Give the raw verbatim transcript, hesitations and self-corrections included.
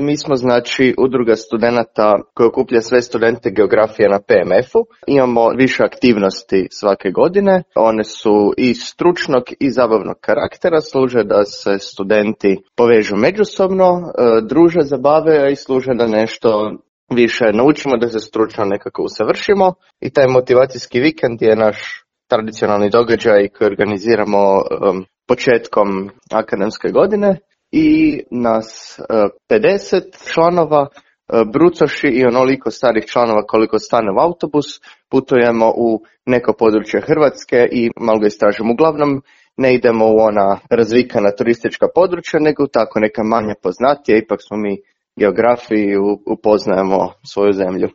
Mi smo znači udruga studenata koja okuplja sve studente geografije na P M F-u. Imamo više aktivnosti svake godine. One su i stručnog i zabavnog karaktera, služe da se studenti povežu međusobno, druže, zabave i služe da nešto više naučimo, da se stručno nekako usavršimo. I taj motivacijski vikend je naš tradicionalni događaj koji organiziramo um, početkom akademske godine. I nas uh, pedeset članova, uh, brucoši i onoliko starih članova koliko stane u autobus, putujemo u neko područje Hrvatske i malo ga istražimo. Uglavnom ne idemo u ona razvikana turistička područja, nego tako neka manje poznatija, ipak smo mi geografi i upoznajemo svoju zemlju.